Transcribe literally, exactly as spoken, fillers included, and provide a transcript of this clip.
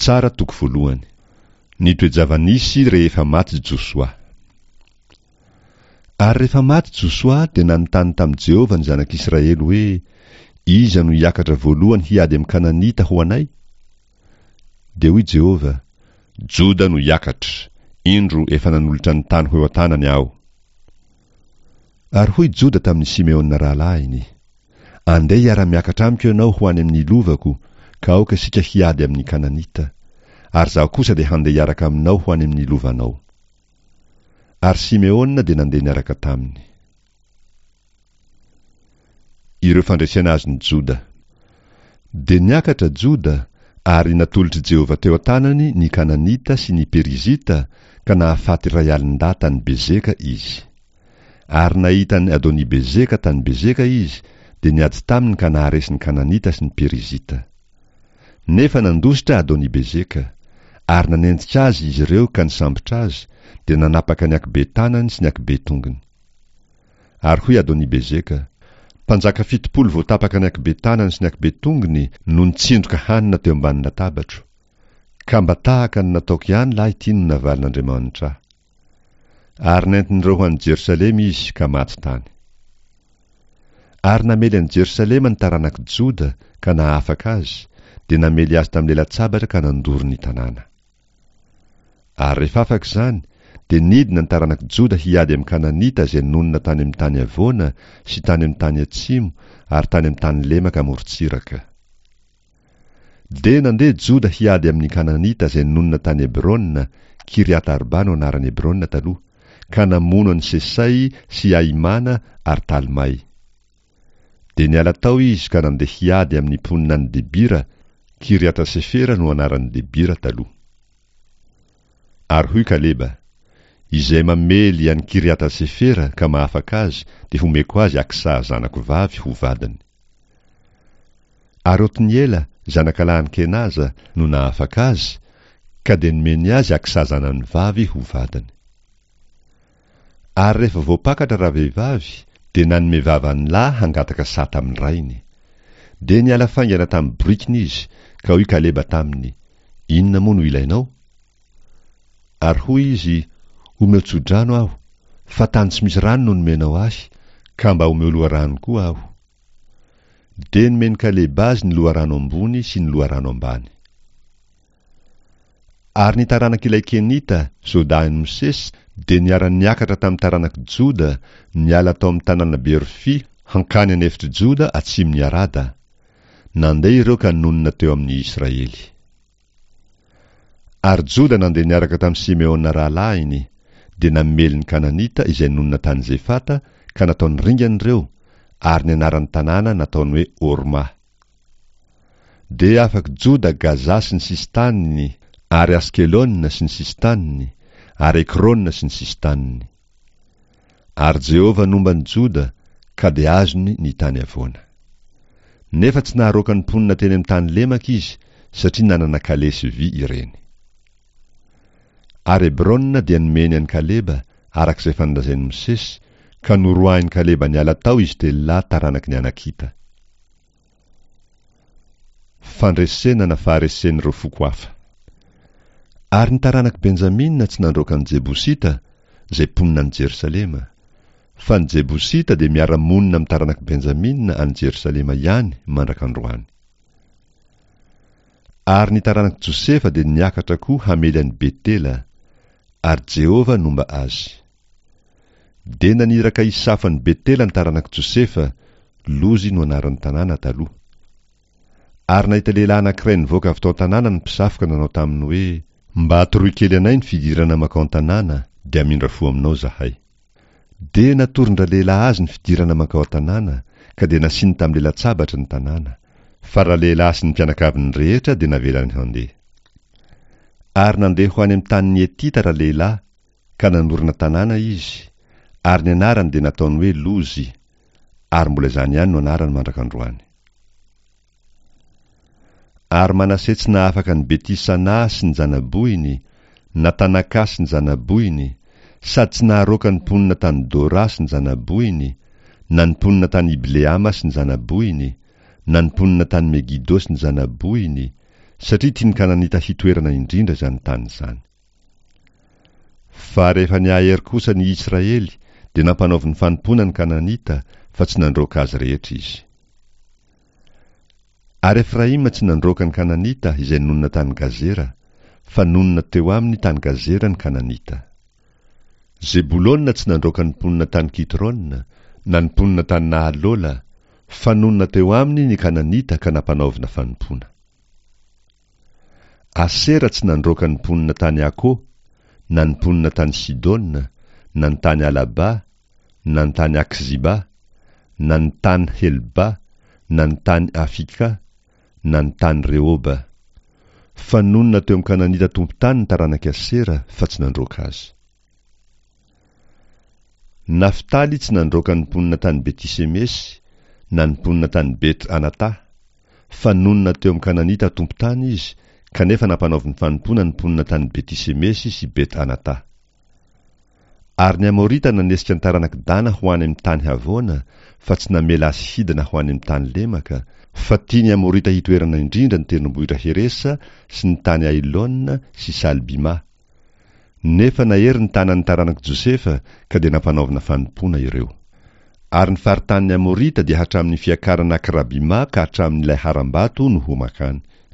Mpitsara toko voalohany. Ny toe-java-nisy rehefa maty Josoa. Ary rehefa maty Josoa dia nanontany tamin'i Jehovah ny zanak'Israely hoe, Iza no hiakatra voalohany hiady amin'ny Kananita ho anay? Dia hoy Jehovah, Joda no hiakatra, indro efa nanolotra ny tany ho eo an-tanany aho. Ary hoy Joda tamin'i Simeona rahalahiny, Andeha hiara-miakatra amiko ianao ho any amin'ny lovako, ka aoka isika hiady amin'ny Kananita. Ary izaho kosa dia handeha hiaraka aminao ho any amin'ny lovanao. Ary Simeona dia nandeha niaraka taminy. Ireo fandresena azon'i Joda. Dia niakatra Joda, ary natolotr'i Jehovah teo an-tanany ny Kananita sy ny Perizita, ka nahafaty iray alin-dahy tany Bezeka izy. Ary nahita an'i Adoni-Bezeka tany Bezeka izy, dia niady taminy ka naharesy ny Kananita sy ny Perizita. Nefa nandositra Adoni-Bezeka, ary nanenjika azy izy ireo ka nisambotra azy, dia nanapaka ny ankibe-tanany sy ny ankibe-tongony. Ary hoy Adoni-Bezeka, Mpanjaka fitopolo voatapaka ny ankibe-tanany sy ny ankibe-tongony no nitsindroka hanina teo ambany latabatro. Ka mba tahaka ny nataoko ihany lahy ity no navalin'Andriamanitra ahy. Ary nentin'ireo ho any Jerosalema izy ka maty tany. Ary namely an'i Jerosalema ny taranak'i Joda ka nahafaka azy, dia namely azy tamin'ny lela-tsabatra ka nandoro ny tanàna. Ary rehefa afaka izany, dia nidina ny taranak'i Joda hiady amin'ny Kananita izay nonina tany amin'ny tany havoana sy tany amin'ny tany atsimo ary tany amin'ny tany lemaka amorontsiraka. Dia nandeha Joda hiady amin'ny Kananita izay nonina tany Hebrona, Kiriat-Arba no anaran'i Hebrona taloha, ka namono an'i Sesay sy Ahimana ary Talmay. Dia niala tao izy ka nandeha hiady amin'ny mponina any Debira, Kiriata-Sefera no anaran'i Debira taloha. Ary hoy Kaleba, Izay mamely an'i Kiriata-Sefera ka mahafaka azy dia homeko azy Aksa zanako vavy ho vadiny. Ary Otniela, zanakalahin'i Kenaza, no nahafaka azy, ka dia nomeny azy Aksa zanany vavy ho vadiny. Ary rehefa voapakatra ravehivavy, dia nanome vava ny lahy hangataka saha tamin'ny rainy. Dia niala faingana tamin'ny borikiny izy, ka hoy Kaleba taminy, Inona moa no ilainao? Ary hoy izy, Omeo tso-drano aho, fa tany tsy misy rano no nomenao ahy, ka mba omeo loharano koa aho. Dia nomen'i Kaleba azy ny loharano ambony sy ny loharano ambany. Ary ny taranak'ilay Kenita, zaodahin'i Mosesy, dia niara-niakatra tamin'ny taranak'i Joda, niala tao amin'ny tanàna Berofia hankany an'efitr'i Joda atsimon'i Arada. Nandeha ireo ka nonina teo amin'ny Israely. Ary Joda nandeha niaraka tamin'i Simeona rahalahiny, dia namely ny Kananita izay nonina tany Zefata ka nataony ringana ireo, ary ny anaran'ny tanàna nataony hoe Horma. Dia afak'i Joda Gaza sy ny sisin-taniny, ary Askelona sy ny sisin-taniny, ary Ekrona sy ny sisin-taniny. Ary Jehovah nomba an'i Joda, ka dia azony ny tany havoana. Nefa tsy naharoaka ny mponina teny amin'ny tany lemaka izy, satria nanana kalesy vy ireny. Ary Hebrona dia nomeny an'i Kaleba, araka izay efa nolazain'i Mosesy, ka noroahin'i Kaleba niala tao izy telo lahy taranaky ny Anakita. Fandresena na faharesen'ireo foko hafa. Ary ny taranak'i Benjamina tsy nandroaka ny Jebosita, izay mponina any Jerosalema. Fa ny Jebosita dia miara-monina amin'ny taranak'i Benjamina any Jerosalema ihany mandraka androany. Ary ny taranak'i Josefa dia niakatra koa hamely an'i Betela, ary Jehovah nomba azy. Dia naniraka hisafo an'i Betela ny taranak'i Josefa, Lozy no anaran'ny tanàna taloha. Ary nahita lehilahy anankiray nivoaka avy tao an-tanàna ny mpisafo ka nanao taminy hoe, Mba atoroy kely anay ny fidirana mankao an-tanàna, dia hamindra fo aminao izahay. Dia natoron-dralehilahy azy ny fidirana mankao an-tanàna, ka dia nasiany tamin'ny lela-tsabatra ny tanàna, fa ralehilahy sy ny mpianakaviny rehetra dia navelany handeha. Ary nandeha ho any amin'ny tanin'ny Hetita ralehilahy, ka nanorina tanàna izy, ary ny anarany dia nataony hoe Lozy, ary mbola izany ihany no anarany mandrak'androany. Ary Manase tsy nahafaka an'i Beti-Sanà sy ny zana-bohiny, na Tanakà sy ny zana-bohiny, sady tsy naharoaka ny mponina tany Dora sy ny zana-bohiny, na ny mponina tany Ibleama sy ny zana-bohiny, na ny mponina tany Megido sy ny zana-bohiny, satria tian'ny Kananita hitoerana indrindra izany tany izany. Fa rehefa nihahery kosa ny Israely, dia nampanaoviny fanompoana ny Kananita, fa tsy nandroaka azy rehetra izy. Ary Efraima tsy nandroaka ny Kananita izay nonina tany Gazera, fa nonina teo aminy tany Gazera ny Kananita. Zebolona tsy nandroaka ny mponina tany Kitrona, na ny mponina tany Nahalola, fa nonina teo aminy ny Kananita ka nampanaovina fanompoana. Asera tsy nandroaka ny mponina tany Ako, na ny mponina tany Sidona, na ny tany Alaba, na ny tany Akziba, na ny tany Helba, na ny tany Afika, na ny tany Rehoba. Fa nonina teo amin'ny Kananita tompon-tany ny taranak'i Asera, fa tsy nandroaka azy. Naftaly tsy nandroaka ny mponina tany Beti-Semesy, na ny mponina tany Bet-Anata, fa nonina teo amin'ny Kananita tompon-tany izy, kanefa nampanaoviny fanompoana ny mponina tany Beti-Semesy sy Bet-Anata. Ary ny Amorita nanesika ny taranak'i Dana ho any amin'ny tany havoana, fa tsy namela azy hidina ho any amin'ny tany lemaka, fa tian'ny Amorita hitoerana indrindra ny tendrombohitra Heresa sy ny tany Ailona sy Salbima. Nefa nahery ny tanan'ny taranak'i Josefa, ka dia nampanaovina fanompoana ireo. Ary ny faritanin'ny Amorita dia hatramin'ny fiakarana Akrabima ka hatramin'ilay harambato no ho makany.